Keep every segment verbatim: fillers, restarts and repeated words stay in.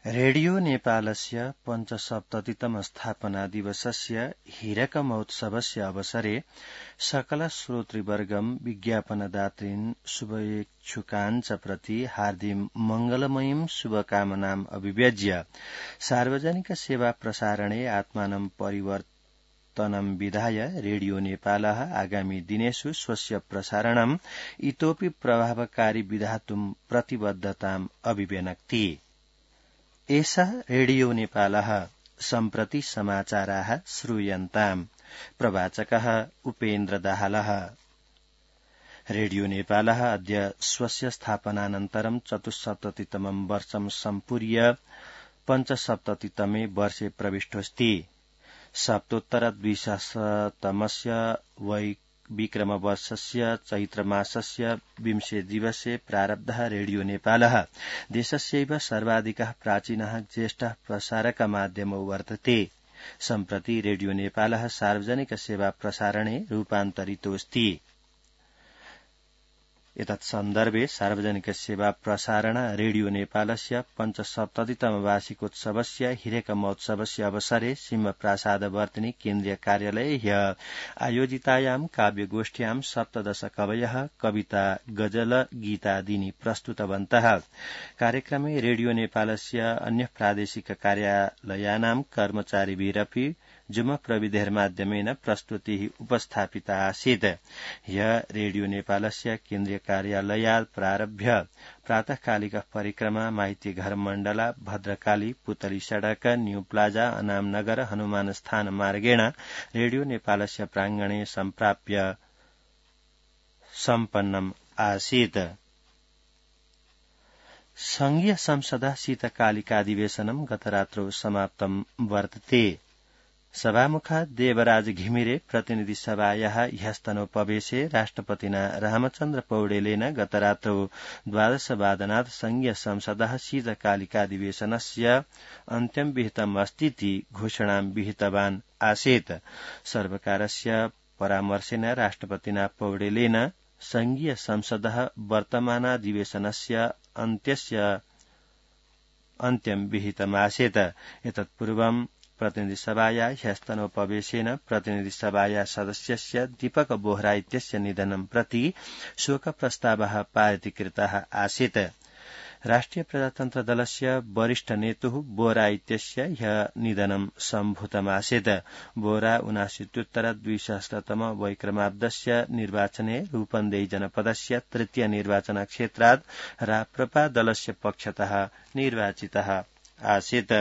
Radio नेपालस्य पञ्चसप्ततितम स्थापना दिवसस्य हीरक महोत्सवस्य अवसरे सकल श्रोतृवर्गं विज्ञापनदातॄन् शुभेच्छुकान् च प्रति हार्दिक मंगलमयीं शुभकामनाम् अभिव्यज्य सार्वजनिक सेवा प्रसारणे आत्मानं परिवर्तनं विधाय रेडियो नेपालः आगामी दिनेषु स्वस्य प्रसारणम् इतोपि प्रभावकारी विधातुं प्रतिबद्धताम् अभिव्यनक्ति। एषः रेडियो नेपालः सम्प्रति समाचाराः श्रूयन्ताम्। प्रवाचकः उपेन्द्र दाहालः। रेडियो नेपालः अद्य स्वस्य स्थापनानन्तरं चतुस्सप्ततितमं वर्षं सम्पूर्य पञ्चसप्ततितमे वर्षे प्रविष्टोऽस्ति। सप्तोत्तर द्विसहस्रतमस्य वै विक्रमवर्षस्य चैत्रमासस्य विंशे दिवसे प्रारब्धः रेडियो नेपालः देशस्यैव सर्वाधिकः प्राचीनः ज्येष्ठः प्रसारकमाध्यमो वर्तते। सम्प्रति रेडियो नेपालः सार्वजनिक सेवा प्रसारणे रूपान्तरितोऽस्ति। एतत् सन्दर्भे सार्वजनिक सेवा प्रसारण रेडियो नेपालस्य पञ्चसप्ततितम वार्षिकोत्सवस्य हीरक महोत्सवस्य अवसरे सिंहप्रासादवर्तिनी केन्द्रीय कार्यालये ह्यः आयोजितायां काव्यगोष्ठ्यां सप्तदश कवयः कविता गजल गीतादीनि प्रस्तुतवन्तः। कार्यक्रमे रेडियो नेपालस्य अन्य प्रादेशिक कार्यालयानां कर्मचारिभिरपि जुम प्रविधेर्माध्यमेन प्रस्तुतिः उपस्थापिता आसीत्। ह्यः रेडियो नेपालस्य केन्द्रीय कार्यालयात् प्रारभ्य प्रातःकालिकः परिक्रमा माइतीघर मण्डला भद्रकाली पुतली सड़क न्यू प्लाजा अनामनगर हनुमान स्थान मार्गेण रेडियो नेपालस्य प्रांगणे सम्प्राप्य सम्पन्नम् आसीत्। संघीय संसदः शीतकालिकाधिवेशनं गतरात्रौ समाप्तं वर्तते। सभामुखः देवराज घिमिरे प्रतिनिधि सभायाः ह्यस्तनोपवेशे राष्ट्रपतिना रामचन्द्र पौडेलेन गतरात्रौ द्वादशवादनात् संघीय संसदः शीतकालिकाधिवेशनस्य अन्त्यं विहितम् अस्तीति घोषणां विहितवान् आसीत्। सर्वकारस्य परामर्शेन राष्ट्रपतिना पौडेलेन संघीय संसदः वर्तमानाधिवेशनस्य अन्त्यस्य अन्त्यं विहितमासीत्। एतत्पूर्वं प्रतिनिधिसभाया ह्यस्तनोपवेशेन प्रतिनिधिसभाया सदस्यस्य दीपक बोहरा इत्यस्य निधनं प्रति शोकप्रस्तावः पारितीकृतः आसीत्। राष्ट्रिय प्रजातन्त्र दलस्य वरिष्ठ नेतुः बोहरा इत्यस्य ह्यः निधनं सम्भूतमासीत्। बोहरा ऊनाशीत्युत्तर द्विसहस्रतम वैक्रमाब्दस्य निर्वाचने रूपन्देही जनपदस्य तृतीय निर्वाचन क्षेत्रात् राप्रपा दलस्य पक्षतः निर्वाचितः आसीत्।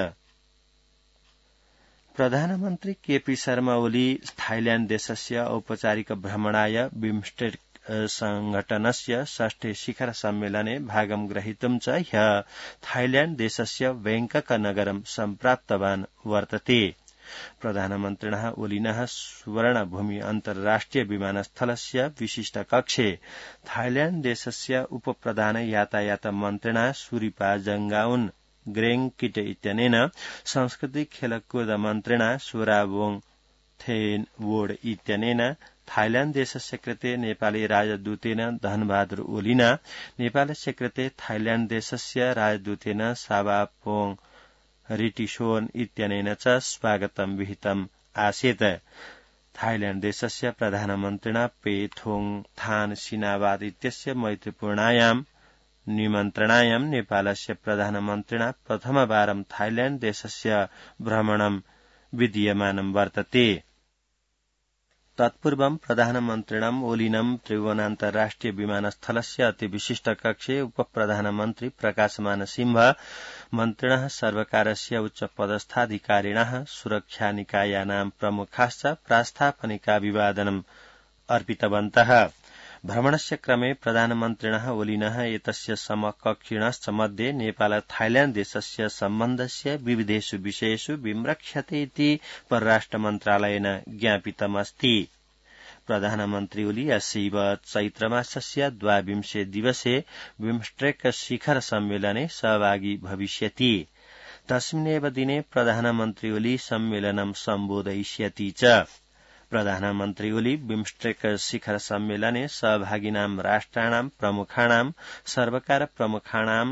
प्रधानमन्त्री केपी शर्मा ओली थाइल्याण्ड देशस्य औपचारिक भ्रमणाय बिमस्टेक संघटनस्य षष्ठे शिखर सम्मेलने भागं ग्रहीतुं च ह्यः थाइल्याण्ड देशस्य बैंकक नगरं सम्प्राप्तवान् वर्तते। प्रधानमन्त्रिणः ओलिनः सुवर्णभूमि अन्तर्राष्ट्रिय विमानस्थलस्य विशिष्ट कक्षे थाइल्याण्ड देशस्य उपप्रधान यातायात मन्त्रिणा सुरिपा जंगाउन ग्रेङ किटे इत्यनेन सांस्कृतिक खेलकूद मन्त्रिणा सोराबोङ थेन वोड इत्यनेन थाइल्याण्ड देशस्य कृते नेपाली राजदूतेन धनबहादुर ओलिना नेपालस्य कृते थाइल्याण्ड देशस्य राजदूतेन सावापोङ रिटिसोन इत्यनेन च स्वागतं विहितम् आसीत्। थाइल्याण्ड देशस्य प्रधानमन्त्रिणा पेथोङ थान सिनावाद इत्यस्य मैत्रीपूर्णायां निमन्त्रणायां नेपालस्य प्रधानमन्त्रिणा प्रथमवारं थाइल्याण्ड देशस्य भ्रमणं विधीयमानं वर्तते। तत्पूर्वं प्रधानमन्त्रिणम् ओलिनं त्रिभुवनान्तर्राष्ट्रिय विमानस्थलस्य अतिविशिष्ट कक्षे उपप्रधानमन्त्री प्रकाशमान सिंह मन्त्रिणः सर्वकारस्य उच्चपदस्थाधिकारिणः सुरक्षानिकायानां प्रमुखाश्च प्रास्तापनिकाभिवादनम् अर्पितवन्तः। भ्रमणस्य क्रमे प्रधानमन्त्रिणः ओलिनः एतस्य समकक्षिणश्च मध्ये नेपाल थाइल्याण्ड देशस्य सम्बन्धस्य विविधेषु विषयेषु विम्रक्ष्यते इति परराष्ट्र मन्त्रालयेन ज्ञापितमस्ति। प्रधानमन्त्री ओली अस्यैव चैत्रमासस्य द्वाविंशे दिवसे बिमस्टेक शिखर सम्मेलने सहभागी भविष्यति। तस्मिन्नेव दिने प्रधानमन्त्री ओली सम्मेलनं सम्बोधयिष्यति च। प्रधानमन्त्री ओली बिमस्टेक शिखर सम्मेलने सहभागिनां राष्ट्राणां प्रमुखाणां सर्वकार प्रमुखाणां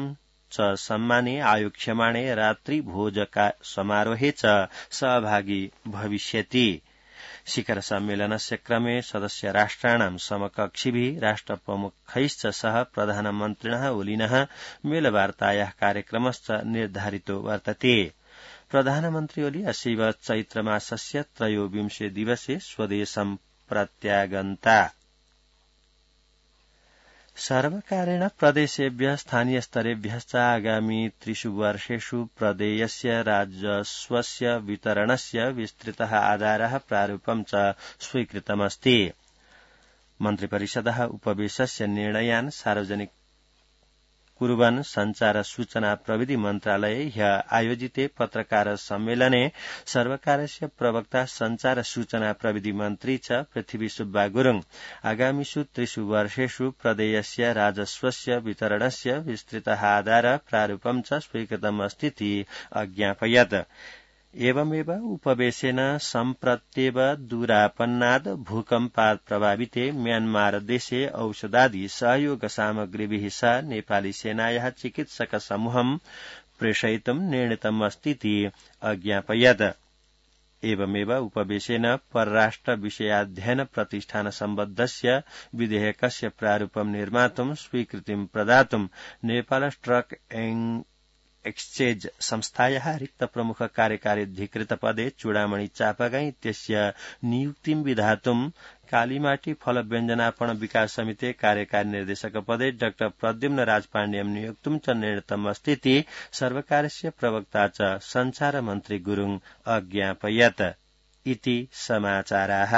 च सम्माने आयोक्ष्यमाणे रात्रि भोजका समारोहे च सहभागी भविष्यति। शिखर सम्मेलनस्य क्रमे सदस्य राष्ट्राणां समकक्षिभिः राष्ट्रप्रमुखैश्च सह प्रधानमन्त्रिणः ओलिनः मेलवार्तायाः कार्यक्रमश्च निर्धारितो वर्तते। प्रधानमन्त्री ओली अस्यैव चैत्रमासस्य त्रयोविंशे दिवसे स्वदेशं प्रत्यागन्ता। सर्वकारेण प्रदेशेभ्यः स्थानीयस्तरेभ्यश्च आगामि त्रिषु वर्षेषु प्रदेयस्य राजस्वस्य वितरणस्य विस्तृतः आधारः प्रारूपं च स्वीकृतमस्ति। मन्त्रिपरिषदः उपवेशस्य निर्णयान् सार्वजनिक कुर्वन् संचार सूचना प्रविधि मन्त्रालये ह्यः आयोजिते पत्रकार सम्मेलने सर्वकारस्य प्रवक्ता संचार सूचना प्रविधि मन्त्री च पृथ्वी सुब्बा गुरुङ आगामिषु त्रिषु वर्षेषु प्रदेयस्य राजस्वस्य वितरणस्य विस्तृतः आधार प्रारूपं च स्वीकृतमस्तीति अज्ञापयत्। एवमेव उपवेशेन सम्प्रत्येव दूरापन्नाद् भूकम्पात् प्रभाविते म्यान्मार देशे औषधादि सहयोग सामग्रीभिः सह नेपाली सेनायाः चिकित्सक समूहं प्रेषयितुं निर्णीतमस्तीति अज्ञापयत्। एवमेव उपवेशेन परराष्ट्र विषयाध्ययन प्रतिष्ठान सम्बद्धस्य विधेयकस्य प्रारूपं निर्मातुं स्वीकृतिं प्रदातुं नेपाल स्टक एक्सचेंज संस्थायाः रिक्त प्रमुख कार्यकार्यधिकृत पदे चूडामणि चापागाई इत्यस्य नियुक्तिं विधातुं कालीमाटी फल व्यञ्जनापण विकास समिते कार्यकारी निर्देशक पदे डाक्टर प्रद्युम्न राजपाण्ड्यं नियोक्तुं च निर्णीतमस्तीति सर्वकारस्य प्रवक्ता च संचार मन्त्री गुरुङ अज्ञापयत्। इति समाचाराः।